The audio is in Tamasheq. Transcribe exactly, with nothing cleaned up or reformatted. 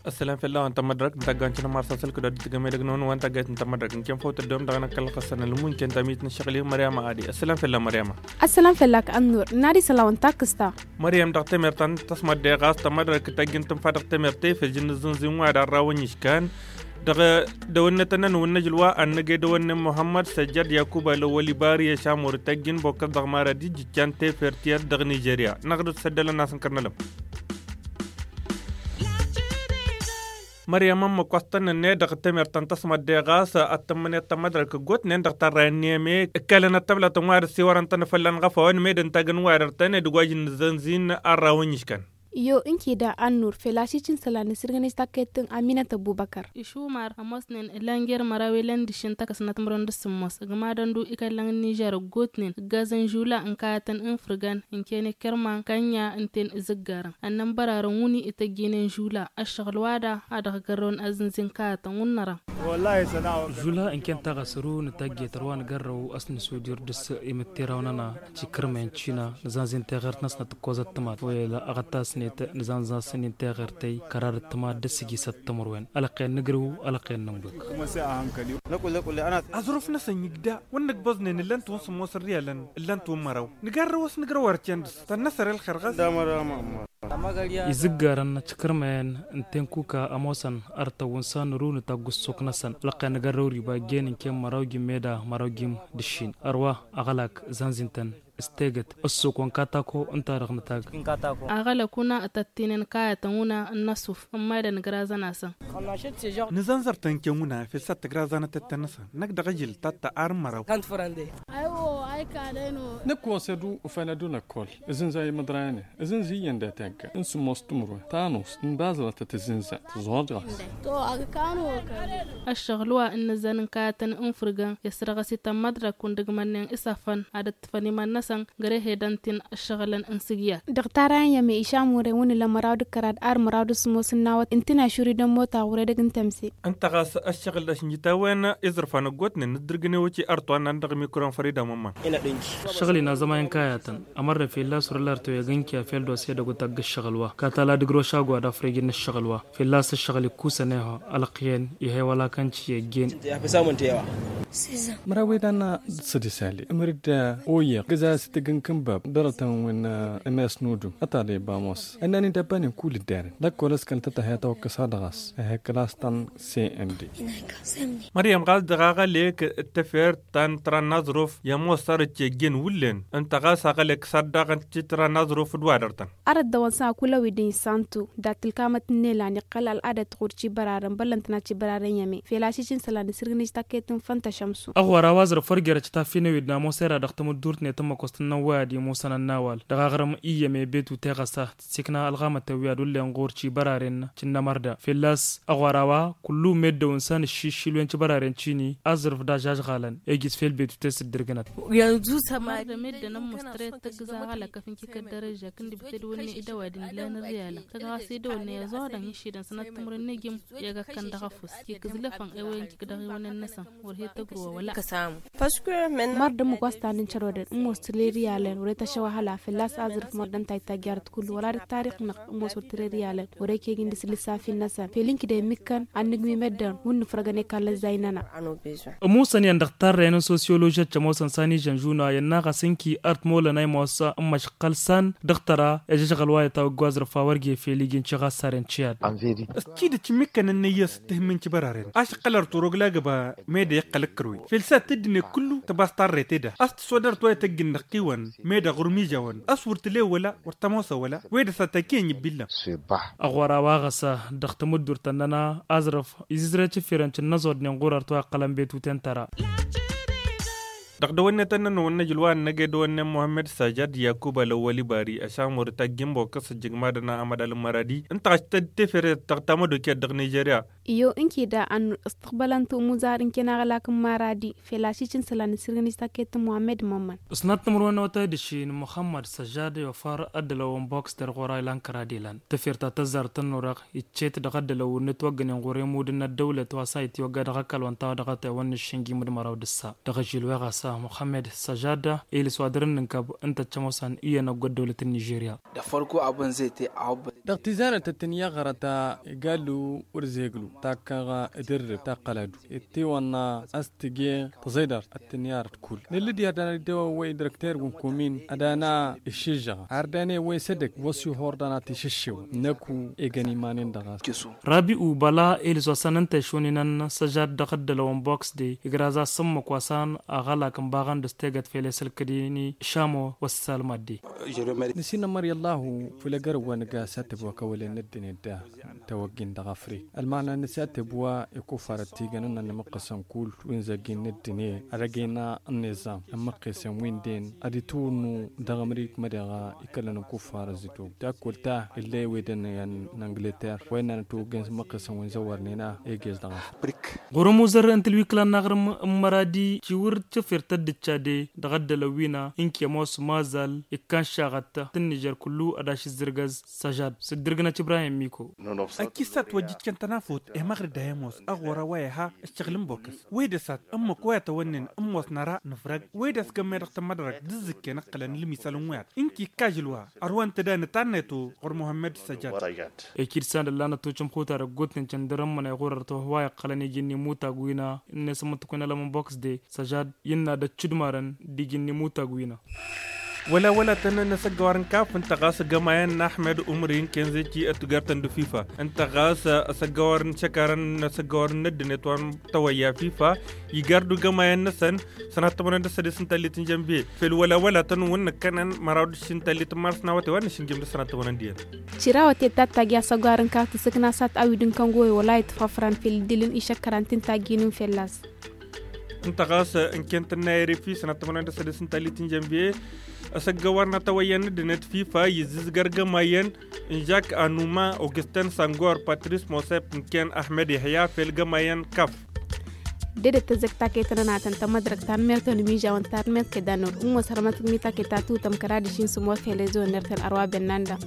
Ăssălam fell-a-wa n-tămmădrăk n-taggawen-ti n-amar s-asălkăd ad-dd-tǝgăm edăgg-năwăn wa n-taggayt n-tămmădrăk n-ken făw tăddewăm dăɣ-năkkăl ɣăssăn ălmunken tamit n-ăššăɣǝl i-măryama adi. Ăssălam fell-a măryama. Ăssălam fell-ak ănnur n-ad-isălan wa n-takkǝsta. Măryam dăɣ-temert ta n-tăsmăddeɣ ɣas tămmădrăk tăjjǝn tǝnfa dăɣ-temert tefel jǝnnǝzzǝnzǝn wa d-arrawăn iškan. Dăɣ-dăwănnetăn n-wǝnnăjǝl wa ad-năgg edăwănnen muhămmăd săjjăd yakuba lăwăl ibari ăšamur tăjjǝn bokkăs dăɣ-marad ijjǝccan tefert i-ad-dăɣ nižerya năɣ-dd-săddălăn-asăn kăr-nălăm. Măryam ămmăk wa s-tăn-nǝnne dăɣ-temert ta n-tăsmădde ɣas ad-tǝmmǝnet tămmădrăk ăggootnen dăɣ-tarrayăn n-eme ǝkkalăn ăttăblatăn wa dăr-siwărăn-tăn fălla-n ɣăfawăn med ǝntagăn wa dăr-tăn ed ǝgwaj n-nǝzzănzin arrawăn iškăn. Yo ǝnki da ănnur fel ašǝjj n-isălan n-asǝrgăn-ej takkăyt n-aminăt ăbubăkăr. Išumar ămoosnen ǝlan jer-măraw i-lăndǝššǝn takăsnăt timǝrwen d-sǝmmos ǝgmadăn-du ikăllăn n-nižer ăggootnen ǝggazăn žula n-kayătăn n-ifǝrgan ǝnken i-kărman kănnya ǝnta-en izǝggarăn ănnăn bărarăn wǝnni ităjjinen žula ăššăɣǝl-wa-da a dăɣ-gărrăwăn azǝnzi n-kayătăn wǝnnărăn. Žula ǝnken taɣăsăru n-tăjjet ărwa n-gărrăw a-s nǝsudir dăr-s imǝttirawăn-nănăɣ. Tikǝrmen cina nǝzanzin teɣert-năsnăt ǝkkoẓăt tǝmat wăyăl aɣătasnet nǝzanzasăn-in teɣert-tăy kărar d-tǝmat d-ăssijisăt timǝrwen ălăqqen n-ǝgrǝw ălăqqen n-ǝnbǝk. Aẓrǝf-năsăn igda wăr nǝgbăẓnen ǝllan-t wăn-sǝmmos n-riyalăn ǝllan-t wăn-măraw nǝgarrăw a-s nǝgrăw arcen dăr-s tănnăsăr i-ălxer ɣas. Izǝggarăn tikǝrmen n-tenkuka ămoosăn artăwăn s-ad-nǝrǝw nǝtagg ǝssok-năsăn ălăqqen nǝgărrăw riba ǝjjen ǝnken măraw jim meda măraw jim d-ǝššin ărwa aɣălak zanzintăn s-tegăt ǝssok wa n-katako ǝnta-dăɣ nǝtagg. Aɣălak wǝna tăttinen kayătăn wǝna n-inăsuf n-mad-ănǝgrazăn-asăn. Nǝzănzăr-tăn ǝnken wǝna fel s-ad-tǝgrazanăt ăttăn-năsăn năkk dăɣ-ejǝl tatta ar n-măraw. Nǝkk wa s-ed-u ufan ad-dd-năkkol. Ǝzǝnza i-imǝḍrayăn-en ǝzǝnza iyyăn d-ategga n-sǝmmos timǝrwen tanust n-bazlătăt ǝzǝnza tǝẓuɣăd ɣas. Ăššăɣǝl wa n-nǝzzan n-kayătăn n-fǝrgăn i-ăssărɣăs-ităn măḍrăk wǝndǝgmănnen isafăn ad-ǝṭṭǝfăn iman-năsăn găre hedăn-t-in ǝššăɣǝlăn n-sǝgyar. Dăɣ-tarayen i-šamure wǝnnǝlăn măraw d-kărad ar măraw d-sǝmmos n-nawăt ǝntǝn ašuri d-ămmota ɣur-edăgg n-tămse. Ǝnta ɣas ăššăɣǝl d-ašǝnjǝtawăn iẓrǝfan ăggootnen n-ǝddǝrgǝn i-wăci ărṭwan n-dăɣ-mikron făr-idamămman. Ăššăɣǝl-in azămay n-kayătăn ămărrăf i-illa s-wăr-ăllar tewăyăg n-kiya fel d-oss edăgg otagg ǝššăɣǝl wa katala d-ǝgrǝw ašagu ad-afrăj n-ǝššăɣǝl wa fălla-s ăššăɣǝl ikkusăn ehăw ălăqyăn ihăy wăla kănci i-ăjjeen. Măraw idan d-sădisali ǝmăr-dd oyyăɣ gǝza s-itǝgg n-kǝnbab dărătăn wi n-emes n-udum ătale bamos ănnan-i d-abbanen kull ǝddaren lăkkol ăskăl tăt-ehăy tawăkkăs ad-ɣas ehăy kălas ta n-cnd. Măryăm ɣas dăɣ-aɣălek d-tefert ta n-tran n-aẓruf i-ămoos arăt i-ăjjeen wullen ǝnta ɣas aɣălek s-ad-daɣăn ti tran n-aẓruf d-wa dăr-tăn. Arăt dăɣ-wăn s-a kul-ăwi d-insantu dat-ǝlkamăt n-elan iqqăl ăl'adăt ɣur-cibărarăn băllăn tănat cibărarăn i-ăme fel ašǝjǝn isălan isǝrgǝnǝj taket n-făntăšămsu. Ăɣora wa aẓrǝf wăr jerăt taffinăwi d-namoser ad-dăɣ-tamǝddurt-net n-măkost n-năwway ad-imusăn ănnawal dăɣ-aɣrǝm i-ăme betu teɣăsa tǝssikna ălɣamătăn wi ad-ullen ɣur-cibăraren cǝnnămărda fălla-s ăɣora wa kullu meddăwăn s-a nǝššiššil wen cibăraren cini aẓrǝf d-ažažɣalăn ejǝs fel betu tesǝddǝrgǝnăt. Mărdăm edden ămmus tăret tăggǝza ɣalăkăf n-kikăt dărăža kǝndǝbǝt edăwănne idăwad n-ilan ǝrriyalăn tăgg ɣas edăwănne ăẓoḍăn išidan sănăt timǝrăn n-ejǝm i-agăkkăn dăɣ-efus kikǝzlăfăn ewăyăn kik-dăɣ-iwănen-năsăn. Wăr he-tăgrǝwă wăla. Mărdăm ǝgg wa s-tanǝncărwădăn ǝmmos tǝle ǝrriyalăn wăr-e tăšăwăhăla fălla-s aẓrǝf mărdăm ta ittajjarăt kullu wăla d-ăttarix-năɣ ǝmmos wăr tǝre ǝrriyalăn wăr-e kegin dăr-s lǝssafi-năsăn fel ǝnki d-e-mikkăn ad-nǝgmi meddǝn wǝnnǝfrăgăn i-kallăzzay-nănăɣ. Ămusăn iyyăn dăɣ-tarrăyăn n-sosiyolojăt cămoosăn s-a n-ižăn žuna i-ănnaɣ a-s ǝnki art molăn a imoos n-măšăqqăl s-an dăɣ-tăra i-ažăžɣăl wa i-tawăgg wa aẓrǝf a wăr ge fel iji n-tiɣassaren ciyad. S-tidǝt ǝmmikkăn ănnăyyăs d-tihǝmmin cibăraren ašăqqăl art orogla găba mede iqqăl ǝkkărwe fel s-ad-t-dd-net kullu tăbas tarret eda a-s tǝswădărt wa ităjj ǝnnăɣ-tiwăn mede ɣur-mižawăn a-s wăr tǝlew wăla wăr tămoosăw wăla. Wede s-ad-tăkiyăn ibbillăm. Ăɣora wa ɣas dăɣ-tamǝddurt tănnăna aẓrǝf izǝzrăt ifirăn cǝnnăẓodnen ɣur-art wa iqqălăn betuten tăra. Tăɣ-dăwănnetăn-nănăwăn n-ajǝl wa ănnăgăy dăwănnen muhămmăd sajad yakuba lăwwăl ibari ăšamur taggi n-bokăs ăjjǝgmadăn a amădal n-măradi ǝnta ɣaš tăt-tefere tăɣ-tamădokiyăt dăɣ-nižerya. Iyyăw ǝnke da a n-ǝstăqbălăn timuzar ǝnken aɣălak n-măradi fel ašiš n-isălan ǝssirgăn-ij taket n-muhămmăd mămmăn. Ǝsnat timǝrwen n-otăy d-ǝššin muhămmăd sajad i-ofăr ăddălăw n-boks dăr-ɣur-a ilan kăra d-ilan tefert ta tăzzar tănnurăɣ iccet dăɣ-ăddălăw n-itwăggănen ɣur-emud n-ăddăwlăt wa s-a itwăgga dăɣ-ăkall wa n-tawădăɣăt ewăn n-iššǝnjim d-măraw d-ǝssa dăɣ-ažil weɣ a-s muhămmăd sajad ilǝs wa dăr-ǝnnǝnkăb ǝnta ăččămosan iyyăn ăgg-ăddăwlăt n-nižerya. Dăɣ-tizarăt ăttǝnyaɣărăt igallu wăr-zeglu takkăɣ d-irrǝb taqqăladu ittiwănna a-s tǝje tăẓeydart ăttǝnyarăt kull nǝllǝd i-ad-dăɣ-dăwăwăy dăr-ăkter wi n-kumin ad-ana iššǝžžăɣ ar dăɣ-ne wăy s-edăgg wăr s-ihor dăɣ-nat išǝššewăn năku egăn iman-in dăɣ-a-s. Rabi'u băla ilǝs wa s-anăn tăšuninăn săžad dăɣ-ăddălăwăn boks de igraza s-ǝmmǝk wa s-an aɣălak n-baɣăn d-s tegăt fel esălkădini šamo wăssalmadde. Nǝsinămăr i-ăllahu făll-egărăwăn ga s-ad-tăbwăkăwălen n-ăddinăt da tăwăggin dăɣ-afrik ălmana n-s ad-tăbwa ikufarăt tigăn n-ănmăqqăsăn kull wi n-zăggin n-ăddinăt ad-ăgg-ena n-niẓam ămmăqqesăn wi n-den ad-itwǝnnu dăɣ-amrik mădeɣ ikălăn ikufarăt zitwăw takkul ta ill'-e ewedăn i-ad-n-angleter wa innăn ătwăggăn s-ămmăqqesăn wi n-zăwărnen a egez dăɣ-afrik. Ɣur-ămuzăr n-tǝlwikla n-aɣrǝm n-măradi ciwǝr căfert ăddǝcca de dăɣ-ăddălăw wi n-a ǝnke ămoos mazal ikkan šaɣăt tǝnnižer kullu ad-ašǝzzǝrgăz săžad s-dd-ǝrgǝnăt ibrahim miko. Ăkisat wa dd-ikkăn tănafut i-măɣrǝd a i-ămoos ăɣora wa iha ǝššăɣǝl n-bokăs wede sat ǝmmǝk wa i-tawănnen ǝmmos năra nǝfrăg wede a-s gămme dăɣ-tămădrăg d-ǝzzǝkken ǝqqǝlăn ǝlmisăl n-wăyat ǝnki ǝkkažǝl wa ărwăn-tăd a nǝtannetu ɣur-muhămmăd săjad. Ekid san d-ăllanăt tucǝmxuta dăgg-utnen căndărăn mănay ɣur-ărtăwăh wa iqqălăn iji n-imutag wi n-a ǝnne s-ămmǝttǝkwen ălăm n-boks de săžad innă d-ăccudmarăn d-iji n-imutag wi n-a. Wăla wăla tăn-năsăggăwar n-kaf ǝnta ɣas gămayăn n-ahmed umri n-kenze ci ăttugar-tăn d-fifa ǝnta ɣas ăsăggăwar n-išăkarăn n-asăggăwar n-ăddinăt wa n-tawăyya fifa igar d-ugămayăn-năsăn. Sănat tămănăn d-ăssădes n-tallit n-jănbiye fel wăla wăla tăn-wǝnnǝkkănăn măraw d-ǝššin tallit n-mars n-awăte wa n-išǝnjǝm d-sănat tămănăn d-iyyăn. Ciraw ătedtat tagi asăgwar n-kaf tǝsǝkna sat awid n-kăngoy wăla itfăfran fel dd-ilǝn išăkkăran tǝntagin n-fălla-s. Ǝnta ɣas ǝnken tǝnnayăr i-fifa sănat tămănăn d-ăssădes n-tallit n-jănbiye ăsăggăwar n-atawăyya n-ăddinăt fifa izzǝzgăr gămayăn n-žak anuma augustin sangor patris mosep ǝnken ahmed ihya fel gămayăn kaf. Dedet tăzzăk taketăn ănatăn tămădrăk tanmert-wen imižawăn tanmert kăy-danăwăr ǝmmos hărmăt tǝkmi taket ta tǝwtăm kăra d-ašin sǝmor fel ezo n-ertăn ărwaben n-anda.